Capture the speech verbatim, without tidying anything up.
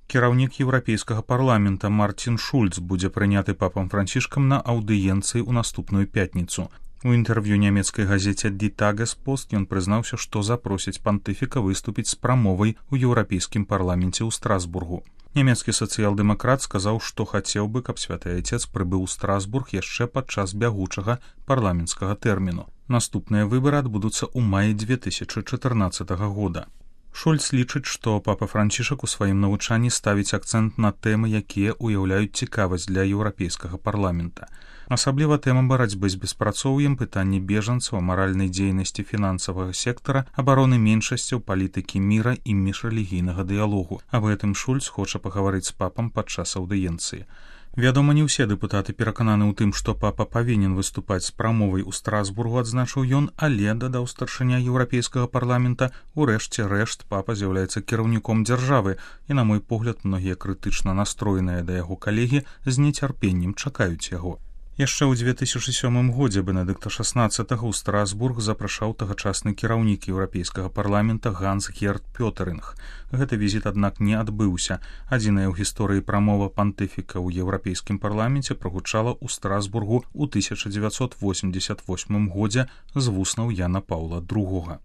Кіраўнік еўрапейскага парламента Мартин Шульц будзе прыняты папам Францішкам на аўдыенцыі ў наступную пятніцу. У інтэрв'ю нямецкай газеце «Die Tagespost» ён прызнаўся, што запросіць пантыфіка выступіць з прамовай у еўрапейскім парламенце ў Страсбургу. Нямецкі сацыял-дэмакрат сказаў, што хацеў бы, каб святы айцец прыбыў у Страсбург яшчэ падчас бягучага парламенцкага тэрміну. Наступныя выбары адбудуцца ў маі дзве тысячы чатырнаццатага года. Шульц лічыць, што папа Францішак у сваім навучанні ставіць акцэнт на тэмы, якія ўяўляюць цікавасць для еўрапейскага парламента. Асабліва тэма барацьбы з беспрацоўем, пытанні бежанцаў, маральнай дзейнасці фінансавага сектара, абароны меншасцяў, палітыкі міра і міжрэлігійнага дыялогу. Аб гэтым Шульц хоча пагаварыць з папам падчас аўдыенцыі. Вядома, не ўсе дэпутаты перакананы ў тым, што папа павінен выступаць з прамовай у Страсбургу, адзначыў ён, але, дадаў старшыня еўрапейскага парламента, у рэшце рэшт папа з'яўляецца кіраўніком дзяржавы, і, на мой погляд, многія крытычна настроеныя да яго калегі з нецярпеннем чакаюць яго. Яшчэ ў дзве тысячы сёмым годзе Бенедыкта шаснаццатага ў Страсбург запрашаў тагачасны кіраўнік еўрапейскага парламента Ганс-Герт Пётэрынг. Гэты візіт, аднак, не адбыўся. Адзіная ў гісторыі прамова пантыфіка ў еўрапейскім парламенце прагучала ў Страсбургу ў тысяча дзевяцьсот восемьдесят восьмым годзе з вуснаў Яна Паўла другога.